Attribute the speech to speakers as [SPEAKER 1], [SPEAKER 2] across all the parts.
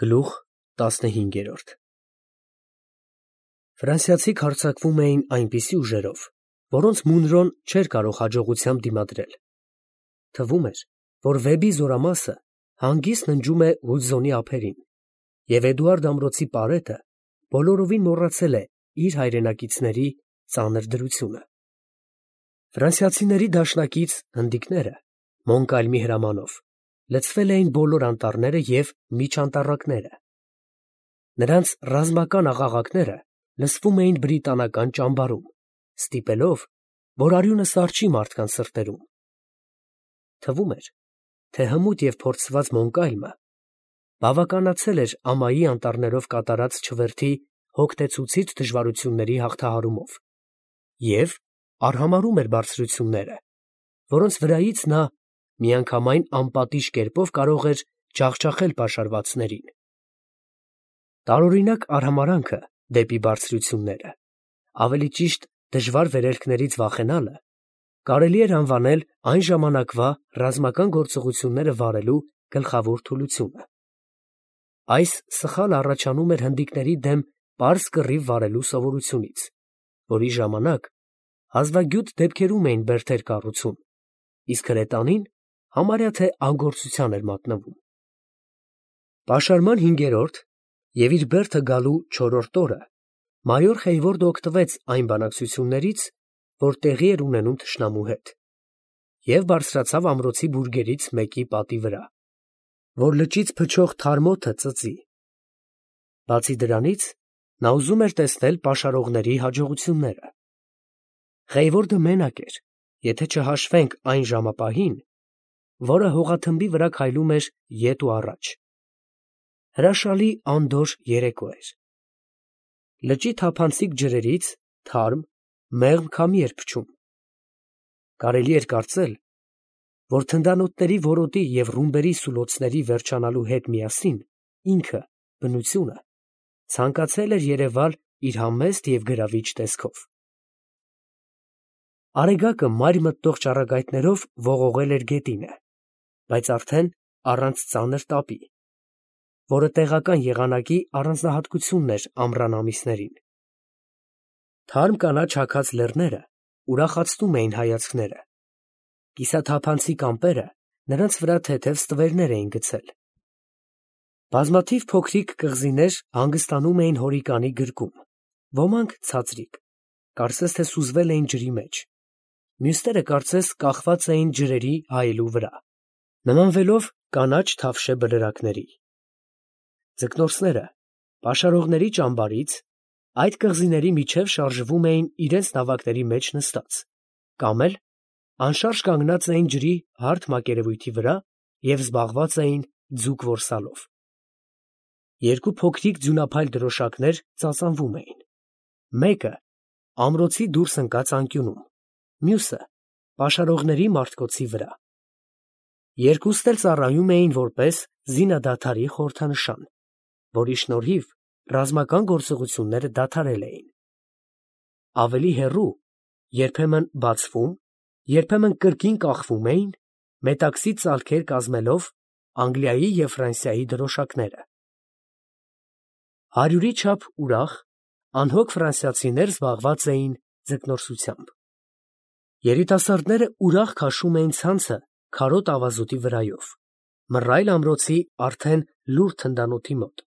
[SPEAKER 1] Գլուխ 15 Ֆրանսիացիք հարձակվում էին այնպիսի ուժերով, որոնց Մունրոն չէր կարող հաջողությամբ դիմադրել. թվում էր, որ Վեբի զորամասը հանգիստ ննջում է Հուդզոնի ափերին, և Էդուարդ ամրոցի պարետը բոլորովին մոռացել է իր հայրենակիցների ծանր դրությունը։ Ֆրանսիացիների դաշնակից հնդիկները Մոնկալմի հրամանով լցվել էին բոլոր անտառները և միջանտառակները։ Նրանց ռազմական աղաղակները լսվում էին բրիտանական ճամբարում, ստիպելով, որ արյունը սառչի մարդկանց սրտերում։ Թվում էր, թե հմուտ և փորձված Մոնկալմը բավականացել էր ամայի անտառներով կատարած չվերթի հոգնեցուցիչ դժվարությունների հաղթահարումով և արհամարհում էր բարձրությունները, որոնց վրայից նա միանգամայն անպատիժ կերպով կարող էր ջախջախել պաշարվածներին։ Տարօրինակ արհամարհանքը դեպի բարձրությունները, ավելի ճիշտ դժվար վերելքներից վախենալը, կարելի էր անվանել այն ժամանակվա ռազմական գործողությունները վարելու գլխավոր թուլությունը։ Այս սխալը առաջանում էր հնդիկների դեմ պարզ կռիվ վարելու սովորությունից, որի ժամանակ հազվագյուտ դեպքերում էին բերդեր կառուցում, իսկ հրետանին համարյա թե անգործության էր մատնվում։ Պաշարման 5-րդ և իր բերդը գալու 4-րդ օրը մայոր Խեյվորդը օգտվեց այն բանակցություններից, որ տեղի էր ունենում թշնամու հետ, և բարձրացավ ամրոցի բուրգերից մեկի պատի վրա, որ լճից փչող թարմ օդը ծծի։ Բացի դրանից, նա ուզում էր տեսնել պաշարողների հաջողությունները։ Խեյվորդը մենակ էր, եթե չհաշվենք այն ժամապահին, որը հողաթմբի վրա քայլում էր ետ ու առաջ։ Հրաշալի անդորր երեկո էր։ Լճի թափանցիկ ջրերից թարմ, մեղմ քամի էր փչում։ Կարելի էր կարծել, որ թնդանոթների որոտի և ռումբերի սուլոցների վերջանալու հետ միասին ինքը, բնությունը, ցանկացել էր երևալ իր համեստ և գրավիչ տեսքով։ Արեգակը մայր մտնող ճառագայթներով ողողել էր գետինը, բայց արդեն առանց ծանր տապի, որը տեղական եղանակի առանձնահատկությունն էր ամռան ամիսներին։ Թարմ կանաչ հագած լեռները ուրախացնում էին հայացքները, կիսաթափանցիկ ամպերը նրանց վրա թեթև ստվերներ էին գցել։ Բազմաթիվ փոքրիկ կղզիներ հանգստանում էին հորիկանի գրկում, ոմանք ցածրիկ, կարծես թե սուզվել էին ջրի մեջ, մյուսները կարծես կախված էին ջրերի հայելու վրա, նմանվելով կանաչ թավշե բլրակների։ Ձկնորսները պաշարողների ճամբարից այդ կղզիների միջև շարժվում էին իրենց նավակների մեջ նստած, կամ էլ անշարժ կանգնած էին ջրի հարթ մակերևույթի վրա և զբաղված էին ձուկ որսալով։ Երկու փոքրիկ ձյունափայլ դրոշակներ ծածանվում էին, մեկը ամրոցի դուրս ընկած անկյունում, մյուսը պաշարողների մարտկոցի վրա։ Երկուսն էլ ծառայում էին որպես զինադադարի խորհրդանշան, որի շնորհիվ ռազմական գործողությունները դադարել էին։ Ավելի հեռու երբեմն բացվում, երբեմն կրկին կախվում էին, մետաքսի ծալքեր կազմելով, Անգլիայի և Ֆրանսիայի դրոշակները։ 100-ի չափ ուրախ, անհոգ ֆրանսիացիներ զբաղված էին ձկնորսությամբ։ Երիտասարդները ուրախ քաշում էին ցանցը քարոտ ավազուտի վրայով, մռայլ ամրոցի արդեն լուռ թնդանոթի մոտ,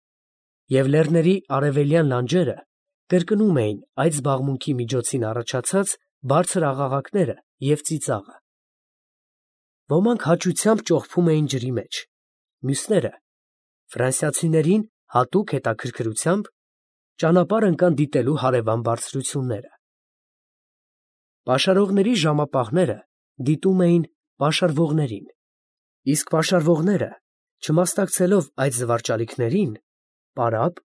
[SPEAKER 1] և լեռների արևելյան լանջերը կրկնում էին այդ զբաղմունքի միջոցին առաջացած բարձր աղաղակները և ծիծաղը։ Ոմանք հաճությամբ ճողփում էին ջրի մեջ, մյուսները, ֆրանսիացիներին հատուկ հետաքրքրությամբ, ճանապարհ ընկան դիտելու հարևան բարձրությունները։ Պաշարողների ժամապահները դիտում էին պաշարվողներին, իսկ պաշարվողները, չմասնակցելով այդ զվարճալիքներին, պարապ,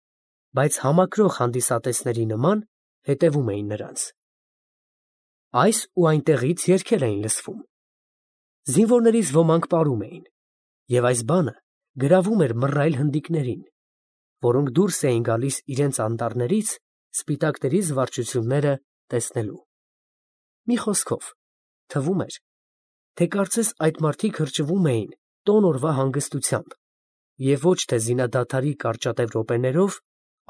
[SPEAKER 1] բայց համակրող հանդիսատեսների նման հետևում էին նրանց։ Այս ու այնտեղից երգեր էին լսվում։ Զինվորներից ոմանք պարում էին, և այս բանը գրավում էր մռայլ հնդիկներին, որոնք դուրս էին գալիս իրենց անտառներից սպիտակների զվարճությունները տեսնելու։ Մի խոսքով, թվում էր, թե կարծես այդ մարդիկ հրճվում էին տոն օրվա հանգստությամբ, և ոչ թե զինադադարի կարճատև րոպեներով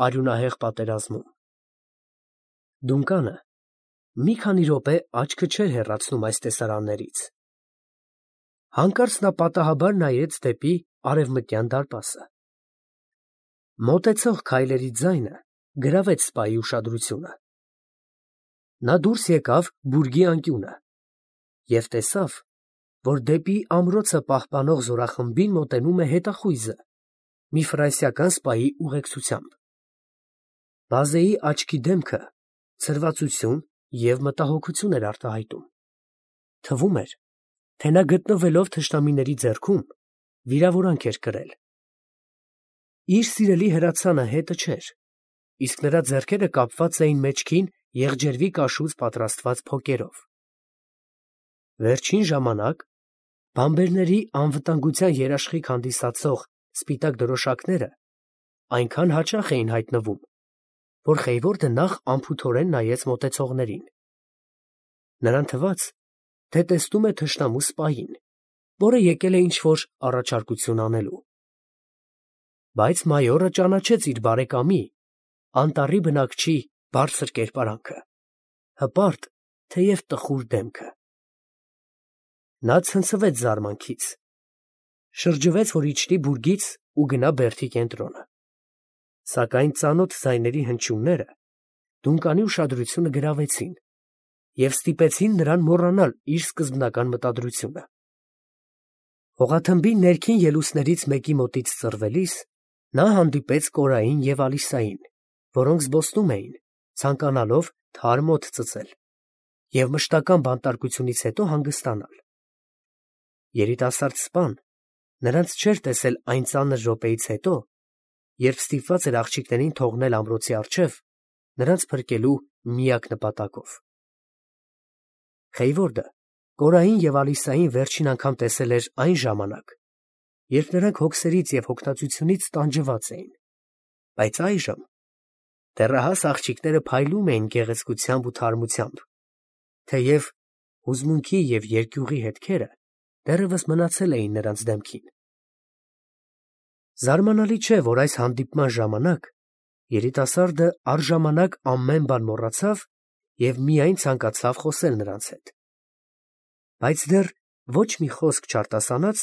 [SPEAKER 1] արյունահեղ պատերազմում։ Դունկանը մի քանի րոպե աչքը չէր հեռացնում այս տեսարաններից։ Հանկարծ նա պատահաբար նայեց դեպի արևմտյան դարպասը։ Մոտեցող քայլերի ձայնը գրավեց սպայի ուշադրությունը։ Նա դուրս եկավ բուրգի անկյունը և տեսավ, որ դեպի ամրոցը պահպանող զորախմբին մոտենում է հետախույզը մի ֆրանսիական սպայի ուղեկցությամբ։ Բազեի աչքի դեմքը ցրվածություն և մտահոգություն էր արտահայտում։ Թվում էր, թե նա գտնվելով թշնամիների ձեռքում վիրավորանք էր կրել։ Իր սիրելի հրացանը հետը չէր, իսկ նրա ձեռքերը կապված էին մեջքին եղջերվի կաշուց պատրաստված փոկերով։ Վերջին ժամանակ բամբերների անվտանգության երաշխիք հանդիսացող սպիտակ դրոշակները այնքան հաճախ էին հայտնվում, որ Խեյվորդը նախ անփութորեն նայեց մոտեցողներին։ Նրան թվաց, թե տեսնում է թշնամու սպային, որը եկել է ինչ-որ առաջարկություն անելու։ Բայց մայորը ճանաչեց իր բարեկամի, անտառի բնակչի բարձր կերպարանքը, հպարտ, թեև տխուր դեմքը։ Նա ցնցվեց զարմանքից, շրջվեց, որ իջնի բուրգից ու գնա բերդի կենտրոնը։ Սակայն ծանոթ ձայների հնչյունները Դունկանի ուշադրությունը գրավեցին և ստիպեցին նրան մոռանալ իր սկզբնական մտադրությունը։ Հողաթմբի ներքին ելուստներից մեկի մոտից ծռվելիս նա հանդիպեց Կորային և Ալիսային, որոնք զբոսնում էին, ցանկանալով թարմ օդ ծծել և մշտական բանտարկությունից հետո հանգստանալ։ Երիտասարդ սպան նրանց չէր տեսել այն ծանր րոպեից հետո, երբ ստիպված էր աղջիկներին թողնել ամրոցի առջև նրանց փրկելու միակ նպատակով։ Խեյվորդը Կորային և Ալիսային վերջին անգամ տեսել էր այն ժամանակ, երբ նրանք հոգսերից և հոգնածությունից տանջված էին, բայց այժմ դեռահաս աղջիկները փայլում էին գեղեցկությամբ ու թարմությամբ, թեև հուզմունքի և երկյուղի հետքերը դեռևս մնացել էին նրանց դեմքին։ Զարմանալի չէ, որ այս հանդիպման ժամանակ երիտասարդը առժամանակ ամեն բան մոռացավ և միայն ցանկացավ խոսել նրանց հետ։ Բայց դեռ ոչ մի խոսք չարտասանած,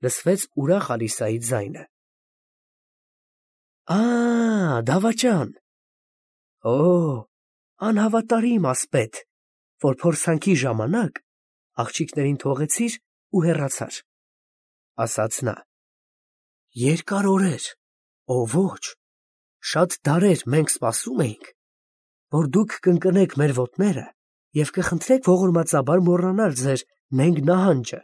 [SPEAKER 1] լսվեց ուրախ Ալիսայի ձայնը. դավաճան, անհավատարիմ ասպետ, որ փորձանքի ժամանակ աղջիկներին թողեցիր ու հեռացար, ասաց նա։ Երկար օրեր, ոչ, շատ դարեր մենք սպասում էինք, որ դուք կընկնեք մեր ոտները և կխնդրեք ողորմածաբար մոռանալ ձեր նենգ նահանջը,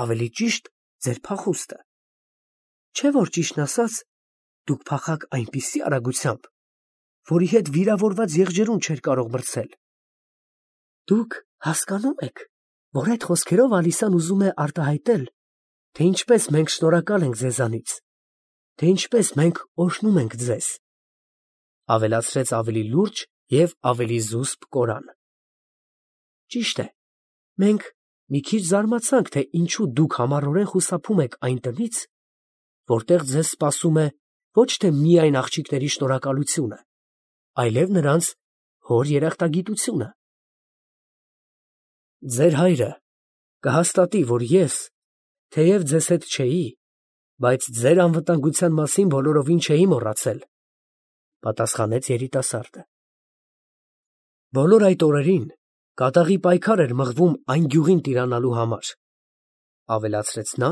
[SPEAKER 1] ավելի ճիշտ ձեր փախուստը։ Չէ՞ որ ճիշտն ասած, դուք փախաք այնպիսի արագությամբ, որի հետ վիրավորված եղջերուն չէր կարող մրցել։ Դուք հասկանո՞ւմ եք, որ այդ խոսքերով Ալիսան ուզում է արտահայտել, թե ինչպես մենք շնորհակալ ենք ձեզանից, թե ինչպես մենք օրհնում ենք ձեզ, ավելացրեց ավելի լուրջ և ավելի զուսպ Կորան։ Ճիշտ է, մենք մի քիչ զարմացանք, թե ինչու դուք համառորեն խուսափում եք այն տնից, որտեղ ձեզ սպասում է ոչ թե միայն աղջիկների շնորհակալությունը, այլև նրանց հոր երախտագիտությունը։ Ձեր հայրը կհաստատի, որ ես, թեև ձեզ հետ չէի, բայց ձեր անվտանգության մասին բոլորովին չէի մոռացել, պատասխանեց երիտասարդը։ Բոլոր այդ օրերին կատաղի պայքար էր մղվում այն գյուղին տիրանալու համար, ավելացրեց նա,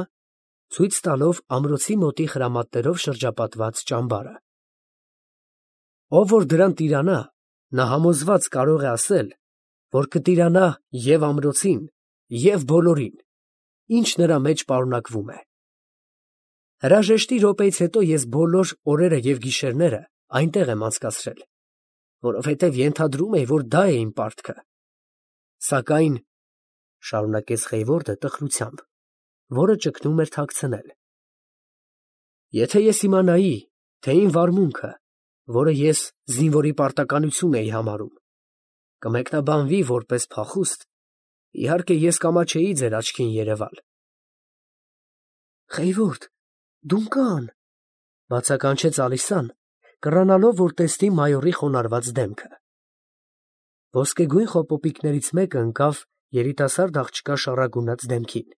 [SPEAKER 1] ցույց տալով ամրոցի մոտի խրամատներով շրջապատված ճամբարը։ Ով որ դրան տիրանա, նա համոզված կարող է ասել, որ կտիրանա և ամրոցին, և բոլորին, ինչ նրա մեջ պարունակվում է։ Հրաժեշտի րոպեից հետո ես բոլոր օրերը և գիշերները այնտեղ եմ անցկացրել, որովհետև ենթադրում էի, որ դա է իմ պարտքը։ Սակայն, շարունակեց Խեյվորդը տխրությամբ, որը ճգնում էր թաքցնել, եթե ես իմանայի, թե իմ վարմունքը, որը ես զինվորի պարտականություն էի համարում, կմեկնաբանվի որպես փախուստ, իհարկե ես կամաչեի ձեր աչքին երևալ։ Խեյվորդ, Դունկան, Բացականչեց Ալիսան, կռանալով, որ տեսնի մայորի խոնարհված դեմքը։ Ոսկեգույն խոպոպիկներից մեկը ընկավ երիտասարդ աղջկա շառագունած դեմքին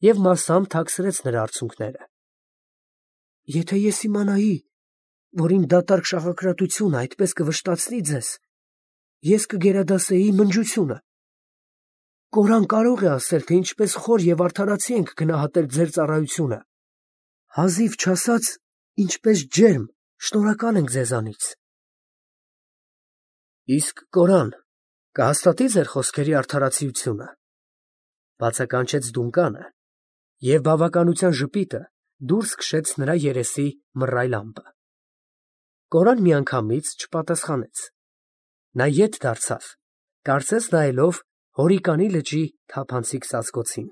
[SPEAKER 1] և մասամբ թաքցրեց նրա արցունքները։ Եթե ես իմանայի, որ իմ դատարկ շաղակրատությունը այդպես կվշտացնի ձեզ, ես կգերադասեի մնջությունը։ Կորան կարող է ասել, թե ինչպես խոր և արդարացի ենք գնահատել ձեր ծառայությունը։ Հազիվ չասած, ինչպես ջերմ, շնորհակալ ենք ձեզանից։ Իսկ Կորան կհաստատի ձեր խոսքերի արդարացիությունը, բացականչեց Դունկանը, և բավականության ժպիտը դուրս քշեց նրա երեսի մռայլ ամպը։ Կորան միանգամից չպատասխանեց։ Նա ետ դարձավ, կարծես նայելով Հորիկանի լճի թափանցիկ ծածկոցին։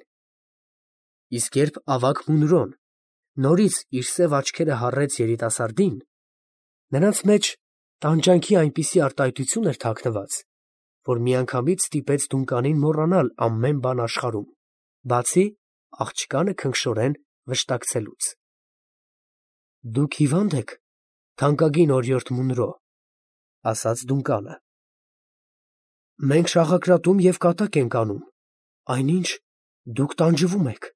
[SPEAKER 1] Իսկ երբ ավագ Մունրոն նորից իր սև աչքերը հառեց երիտասարդին, նրանց մեջ տանջանքի այնպիսի արտահայտություն էր թաքնված, որ միանգամից ստիպեց Դունկանին մոռանալ ամեն բան աշխարհում, բացի աղջկանը քնքշորեն վշտակցելուց։ Դուք հիվա՞նդ եք, թանկագին օրիորդ Մունրո, ասաց Դունկանը։ Մենք շաղակրատում և կատակ ենք անում, այնինչ դուք տանջվում եք։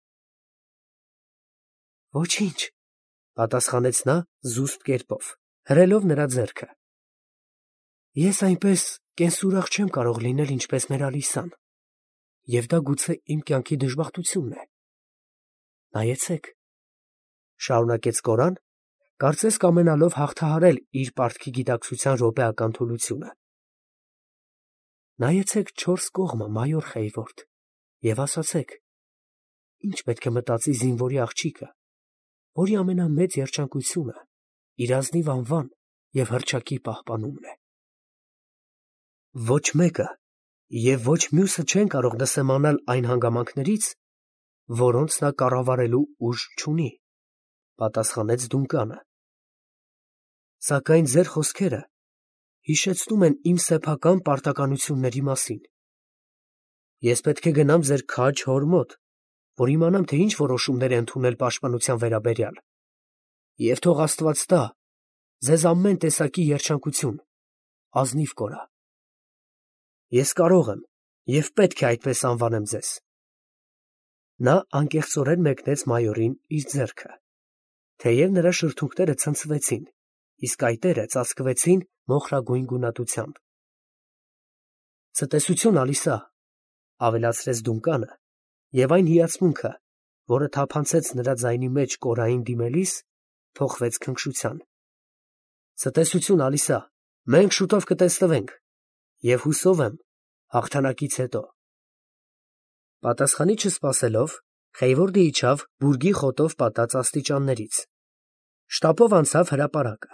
[SPEAKER 1] Ոչինչ, պատասխանեց նա զուսպ կերպով, հրելով նրա ձեռքը։ Ես այնպես կենսուրախ չեմ կարող լինել, ինչպես մեր Ալիսան, և դա գուցե իմ կյանքի դժբախտությունն է։ Նայեցեք, շարունակեց Կորան, կարծես կամենալով հաղթահարել իր պարտքի գիտակցության րոպեական թուլությունը։ Նայեցեք չորս կողմը, մայոր Խեյվորդ, և ասացեք, ինչ պետք է մտածի զինվորի աղջիկը, որի ամենամեծ երջանկությունը իր ազնիվ անվան և հռչակի պահպանումն է։ Ոչ մեկը և ոչ մյուսը չեն կարող նսեմանալ այն հանգամանքներից, որոնց նա կառավարելու ուժ չունի, պատասխանեց Դունկանը։ Սակայն ձեր խոսքերը հիշեցնում են իմ սեփական պարտականությունների մասին։ Ես պետք է գնամ ձեր քաջ հոր մոտ, որ իմանամ, թե ինչ որոշումներ է ընդունել պաշտպանության վերաբերյալ, և թող Աստված տա ձեզ ամեն տեսակի երջանկություն, ազնիվ կորա։ Ես կարող եմ և պետք է այդպես անվանեմ ձեզ։ Նա անկեղծորեն մեկնեց մայորին իր ձեռքը, թեև նրա շրթունքները ցնցվեցին, իսկ այտերը ծածկվեցին մոխրագույն գունատությամբ։ Ցտեսություն, Ալիսա, ավելացրեց Դունկանը, և այն հիացմունքը, որը թափանցեց նրա ձայնի մեջ Կորային դիմելիս, փոխվեց քնքշության։ Ցտեսություն, Ալիսա, մենք շուտով կտեսնվենք, և հուսով եմ հաղթանակից հետո։ Պատասխանի չսպասելով, Խեյվորդը իջավ բուրգի խոտով պատած աստիճաններից, շտապով անցավ հրապարակը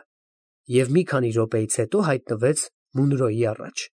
[SPEAKER 1] և մի քանի րոպեից հետո հայտնվեց Մունրոյի առաջ։